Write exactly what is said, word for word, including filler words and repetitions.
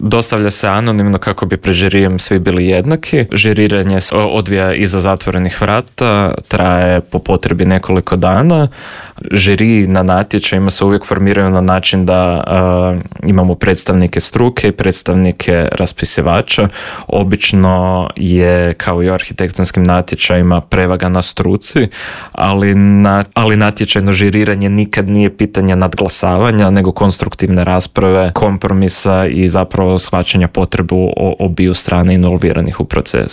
dostavlja se anonimno kako bi pred žirijem svi bili jednaki. Žiriranje se odvija iza zatvorenih vrata, traje po potrebi nekoliko dana. Žiri na natječajima se uvijek formiraju na način da uh, imamo predstavnike struke i predstavnike raspisivača. Obično je, kao i u arhitektonskim natječajima, prevaga na struci, ali, na, ali natječajno žiriranje nikad nije pitanje nadglasavanja, nego konstruktivne rasprave, kompromisa i zapravo shvaćanja potrebu obiju strane involviranih u proces.